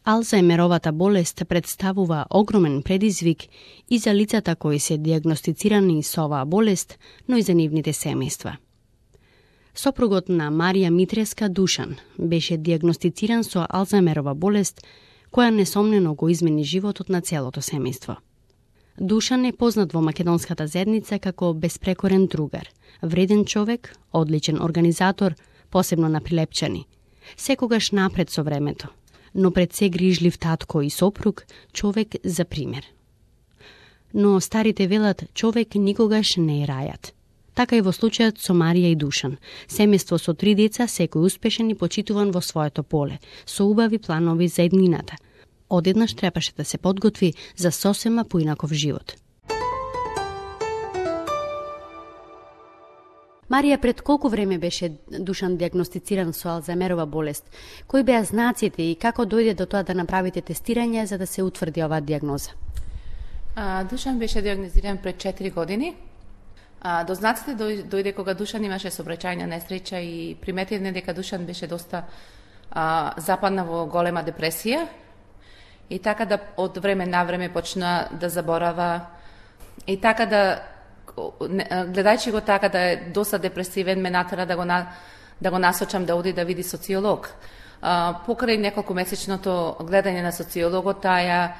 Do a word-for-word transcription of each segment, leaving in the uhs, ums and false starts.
Алцхаймеровата болест представува огромен предизвик и за лицата кои се диагностицирани со оваа болест, но и за нивните семејства. Сопругот на Марија Митреска, Душан, беше диагностициран со Алцхаймерова болест, која несомнено го измени животот на целото семејство. Душан е познат во македонската заедница како безпрекорен другар, вреден човек, одличен организатор, посебно на Прилепчани, секогаш напред со времето, но пред се грижлив татко и сопруг, човек за пример. Но старите велат, човек никогаш не е рајат. Така и во случајот со Марија и Душан, семејство со три деца, секој успешен и почитуван во своето поле, со убави планови за еднината. Одеднаш требаше да се подготви за сосема поинаков живот. Марија, пред колку време беше Душан диагностициран со Алцхаймерова болест? Кои беа знаците и како дојде до тоа да направите тестирање за да се утврди оваа диагноза? А, Душан беше диагнозиран пред четири години. А, до знаците дојде кога Душан имаше сообраќајна несреќа и приметивме дека Душан беше доста а, западна во голема депресија и така да од време на време почна да заборава и така да гледајќи го така да е доста депресивен, ме натера да го на, да го насочам да оди да види социолог. А, покрај неколку месечното гледање на социологот, таја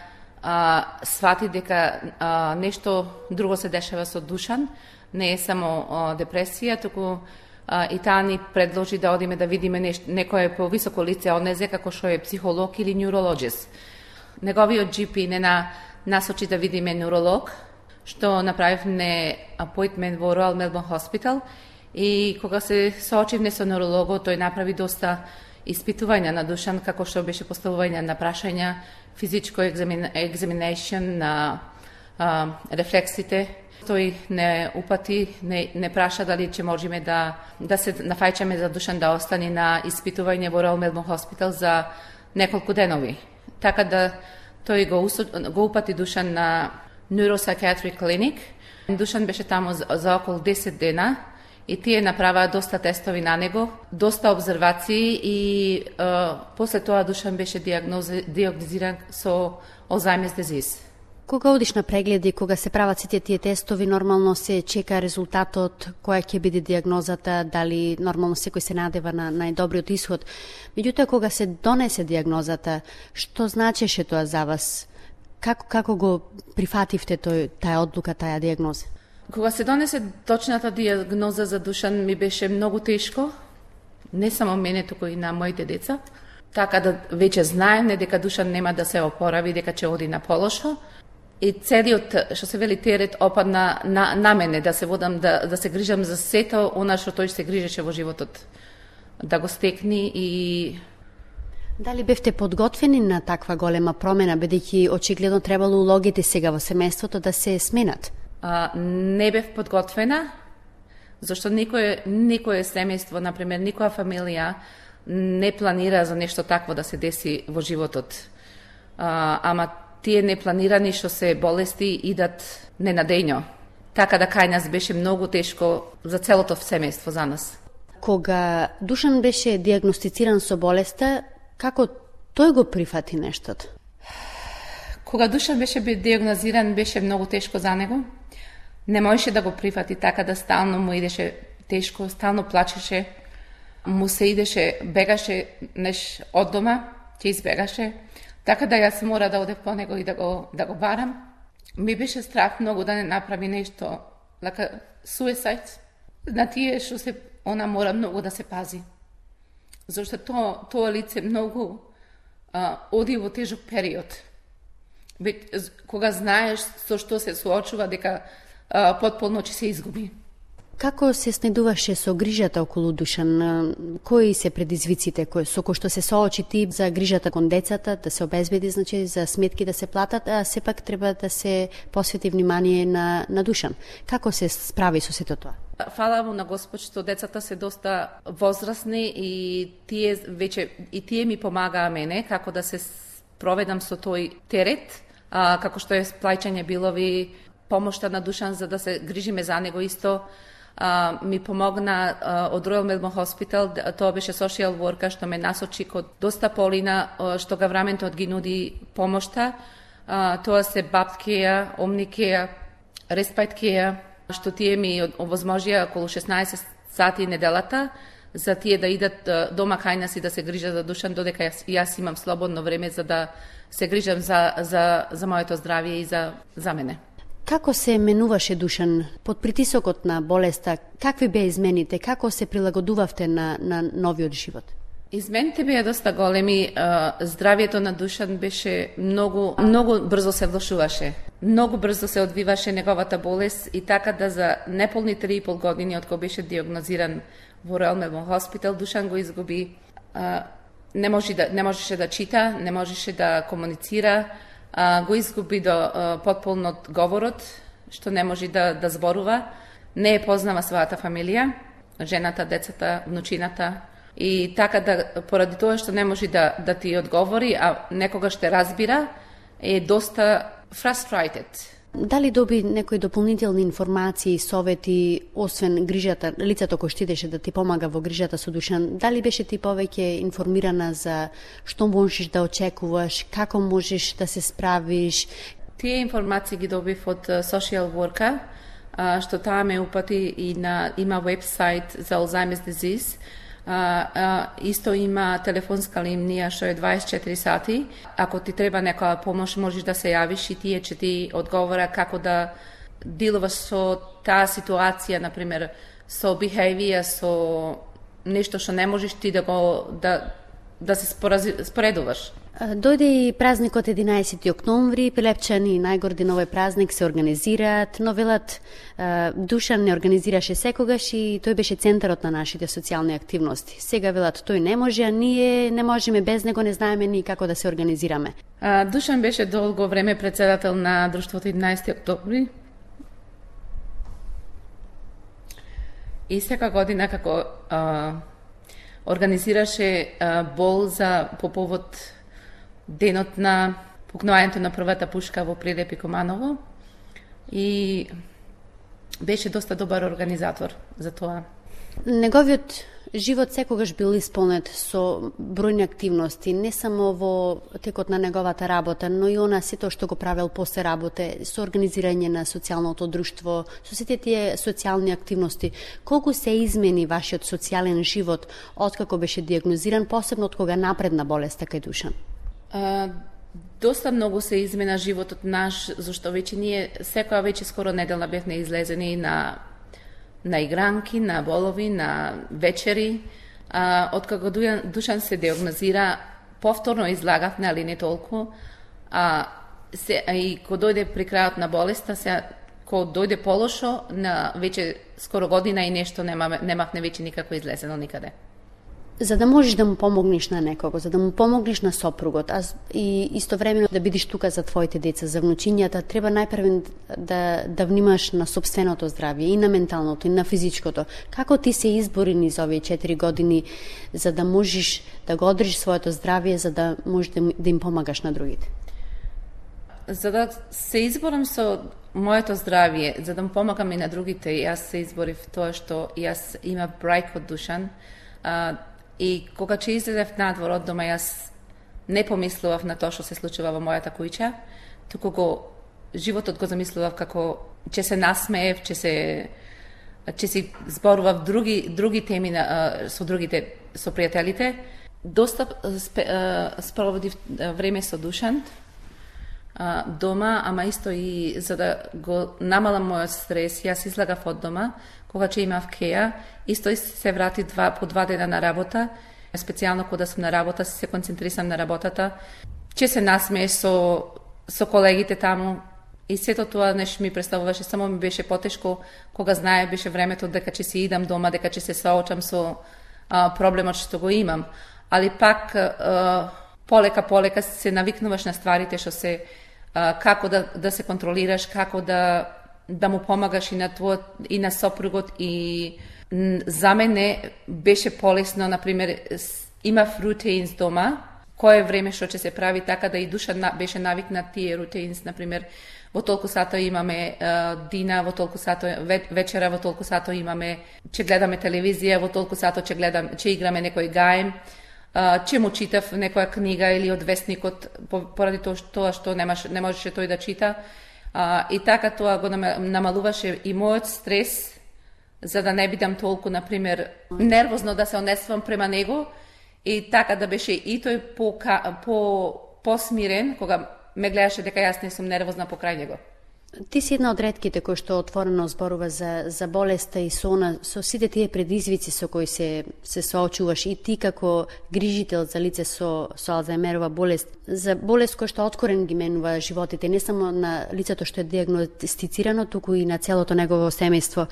а, свати дека а, нешто друго се дешава со Душан, не е само а, депресија, туку а, и таа ни предложи да одиме да видиме нешто, некое повисоко лице од незе, како што е психолог или неурологист. Неговиот джи пи не на, насочи да видиме неуролог, што направивме апоинтмент во Royal Melbourne Hospital и кога се соочивме со неурологот, тој направи доста испитувања на Душан, како што беше поставување на прашања, физичко екзаминation на а, рефлексите. Тој не упати, не, не праша дали ќе можеме да, да се нафајчаме за Душан да остане на испитување во Royal Melbourne Hospital за неколку денови. Така да тој го, го упати Душан на Neuropsychiatric Clinic. Душан беше таму за, за околу десет дена и тие направаа доста тестови на него, доста обзервации и е, после тоа Душан беше диагнозиран со Alzheimer's disease. Кога одиш на прегледи, кога се прават сите тие тестови, нормално се чека резултатот, која ќе биде диагнозата, дали нормално секој се надева на најдобриот исход. Меѓутоа, кога се донесе диагнозата, што значеше тоа за вас? Како, како го прифативте тој, таја одлука, таја диагноза? Кога се донесе точната диагноза за Душан, ми беше многу тешко, не само мене, туку и на моите деца. Така да веќе знаеме дека Душан нема да се опорави, дека ќе оди на полошо. И целиот, што се вели, терет опадна на, на мене, да се водам, да, да се грижам за сето она што тој се грижеше во животот. Да го стекни и... Дали бевте подготвени на таква голема промена, бидејќи очигледно требало улогите сега во семејството да се сменат? А, не бев подготвена, зашто никое, никое семејство, например, никоја фамилија не планира за нешто такво да се деси во животот. А, ама тие непланирани што се болести идат ненадејно. Така да кај нас беше многу тешко за целото семејство за нас. Кога Душан беше диагностициран со болеста, како тој го прифати нештото? Кога Душан беше диагнозиран, беше многу тешко за него. Не можеше да го прифати, така да стално му идеше тешко, стално плачеше, му се идеше, бегаше неш од дома, ќе избегаше. Така да јас мора да одев по него и да го, да го барам. Ми беше страх многу да не направи нешто, like suicide. На тие што се, она мора многу да се пази. Зашто тоа, тоа лице многу а, оди во тежок период. Бе, кога знаеш со што се соочува, дека а, потполно ќе се изгуби. Како се снедуваше со грижата околу Душан? Кои се предизвиците кои, со кои што се соочи ти за грижата кон децата, да се обезбеди, значи, за сметки да се платат, а сепак треба да се посвети внимание на, на Душан? Како се справи со сето тоа? Фала му на Господ што децата се доста возрастни и тие веќе и тие ми помагаа мене како да се проведам со тој терет, а, како што е плаќање билови, помошта на Душан за да се грижиме за него исто. а, ми помогна а, од Royal Melbourne Hospital, тоа беше social worker што ме насочи код доста полина што гавраментот ги нуди помошта. А, тоа се бабкеја, омникеја, респайткеја, што тие ми овозможија околу шеснаесет сати неделата за тие да идат дома кај нас и да се грижат за Душан, додека јас, јас имам слободно време за да се грижам за, за, за моето здравје и за, за мене. Како се менуваше Душан под притисокот на болеста? Какви беа измените? Како се прилагодувавте на, на новиот живот? Измените беа доста големи. Здравието на Душан беше многу, многу брзо се влошуваше. Многу брзо се одвиваше неговата болест и така да за неполни три и пол години од кога беше диагнозиран во Royal Melbourne Hospital, Душан го изгуби. Не, може да, не можеше да чита, не можеше да комуницира, го изгуби до потполнот говорот, што не може да, да зборува. Не е познава својата фамилија, жената, децата, внучината. И така да, поради тоа што не може да, да ти одговори, а некогаш те разбира, е доста frustrated. Дали доби некои дополнителни информации, совети, освен грижата, лицето кој штидеше да ти помага во грижата со Душан, дали беше ти повеќе информирана за што можеш да очекуваш, како можеш да се справиш? Тие информации ги добив од social worker, што таа ме упати и на, има вебсайт за Alzheimer's disease. Uh, uh, исто има телефонска линија што е дваесет и четири сати. Ако ти треба некоја помош, можеш да се јавиш и тие ќе ти одговора како да дилуваш со таа ситуација, например, со behavior, со нешто што не можеш ти да го да да се споредуваш. Дојде и празникот единаесети октомври, Пилепчан и најгордин овој празник се организираат, но велат Душан не организираше секогаш и тој беше центарот на нашите социјални активности. Сега велат тој не може, а ние не можеме без него, не знаеме ни како да се организираме. Душан беше долго време председател на друштвото единаесети октомври. И сека година како а, организираше а, бол за по повод денот на пукнувањето на првата пушка во Прилеп и Команово и беше доста добар организатор за тоа. Неговиот живот секогаш бил исполнет со бројни активности, не само во текот на неговата работа, но и она сето што го правел после работе, со организирање на социјалното друштво, со сите тие социјални активности. Колку се измени вашиот социјален живот откако беше диагнозиран, посебно од кога напредна болеста кај Душан? Uh, доста многу се измена животот наш, зашто веќе ние секоја веќе скоро неделна бевме излезени на на игранки, на болови, на вечери. Uh, откако Душан се диагнозира, повторно излагавме, али не толку. Uh, се, и кога дојде при крајот на болеста, се, кога дојде полошо, на веќе скоро година и нешто немавме, немавме веќе никако излезено никаде. За да можеш да му помогнеш на некого, за да му помогнеш на сопругот, а и истовремено да бидеш тука за твоите деца, за внучињата, треба најпрвен да, да внимаш на собственото здравје, и на менталното, и на физичкото. Како ти се избори низ овие четири години за да можеш да го одржиш своето здравје, за да можеш да, да им помагаш на другите? За да се изборам со моето здравје, за да му помагам и на другите, јас се изборив тоа што јас има брајк од Душан, а, и кога че излезев надвор од дома, јас не помислував на тоа што се случува во мојата куќа, туку го животот го замислував како ќе се насмеев, ќе се ќе си зборував други други теми на, со другите, со пријателите. Доста спроводив време со Душан дома, ама исто и за да го намалам мојот стрес, јас излагав од дома, кога че имав кеја, исто и се врати два, по два дена на работа, специјално кога сум на работа, се концентрисам на работата, че се насмееш со, со колегите таму, и сето тоа нешто ми представуваше, само ми беше потешко, кога знае беше времето дека че си идам дома, дека че се соочам со а, проблемот што го имам, али пак а, полека полека се навикнуваш на стварите што се а, како да, да се контролираш, како да да му помагаш и на твојот и на сопругот, и за мене беше полесно, например, имав рутинс дома, кое време што ќе се прави, така да и душа беше навикнат тие рутинс, например, во толку сато имаме uh, дина, во толку сато вечера, во толку сато имаме, ќе гледаме телевизија, во толку сато ќе гледам, ќе играме некој гајм, uh, ќе му читав некоја книга или од вестникот, поради тоа што немаш, не можеше тој да чита. Uh, и така тоа го намалуваше и мојот стрес, за да не бидам толку, например, нервозно да се однесувам према него, и така да беше и тој по, по, посмирен, кога ме гледаше дека јас не сум нервозна покрај него. Ти си една од ретките кој што отворено зборува за, за болеста и со она, со сите тие предизвици со кои се, се соочуваш, и ти како грижител за лице со, со Алцхаймерова болест, за болест која што откорен ги менува животите, не само на лицето што е диагностицирано, туку и на целото негово семејство.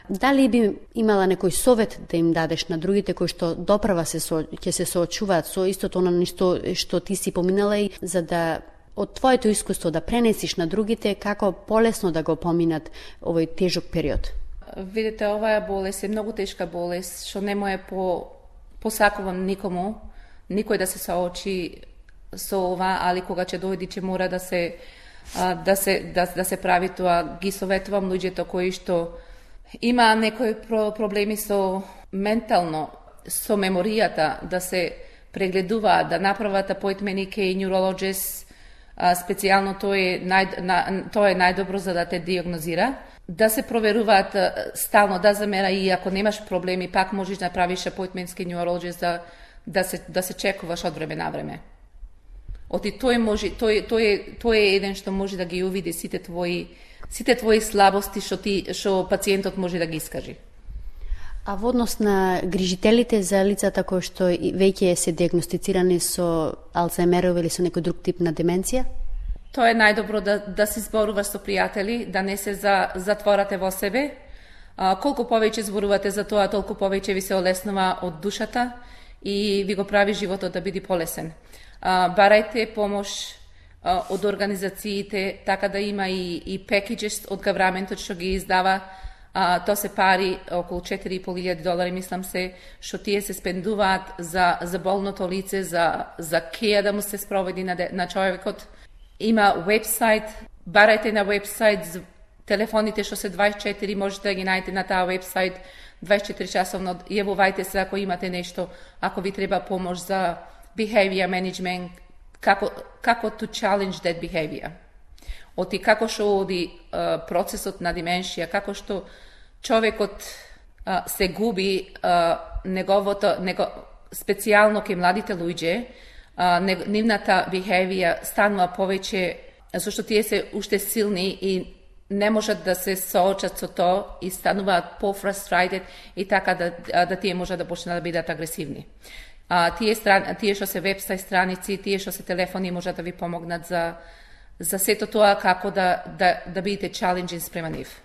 Дали би имала некој совет да им дадеш на другите кои што доправа се со, ќе се соочуваат со истото оно нешто што ти си поминала, и за да од твоето искуство да пренесиш на другите како полесно да го поминат овој тежок период? Видите, оваа болест е многу тешка болест, што не му е по посакувам никому, никој да се соочи со ова, али кога ќе дојде ќе мора да се да се да, да се прави тоа. Ги советувам луѓето кои што има некои проблеми со ментално, со меморијата, да се прегледуваат, да направат апојнтмени кај neurologist, специјално тоа е нај, на, тоа е најдобро за да те диагнозира, да се проверуваат стално, да замера, и ако немаш проблеми, пак можеш да направиш апојнтмент кај neurologist, да, да се да се чекуваш од време на време. Оти тој може, тој тој тој е еден што може да ги увиди сите твои сите твои слабости што ти што пациентот може да ги искажи. А во однос на грижителите за лицата кои што веќе се диагностицирани со Алцхаймерова или со некој друг тип на деменција? Тоа е најдобро да да се зборуваш со пријатели, да не се за, затворате во себе. А, колку повеќе зборувате за тоа, толку повеќе ви се олеснува од душата и ви го прави животот да биде полесен. А, барајте помош од организациите, така да има и, и пекиджес од гавраментот што ги издава. А, тоа се пари, околу четири и пол илјади долари, мислам се, што тие се спендуваат за, за болното лице, за, за кеја да му се спроведи на, на човекот. Има вебсайт, барајте на вебсайт, телефоните што се дваесет и четири, можете да ги најдете на таа вебсайт, дваесет и четири часовно, јавувајте се ако имате нешто, ако ви треба помош за behavior management, како, како to challenge that behavior. Оти како што оди uh, процесот на деменција, како што човекот uh, се губи uh, неговото, него, специјално кај младите луѓе, uh, нивната behavior станува повеќе, зашто тие се уште силни и не можат да се соочат со тоа и стануваат по-frustrated и така да, да тие можат да почнат да бидат агресивни. А, тие, стран, тие што се вебсайт страници, тие што се телефони можат да ви помогнат за, за сето тоа како да, да, да бидете challenging спрема нив.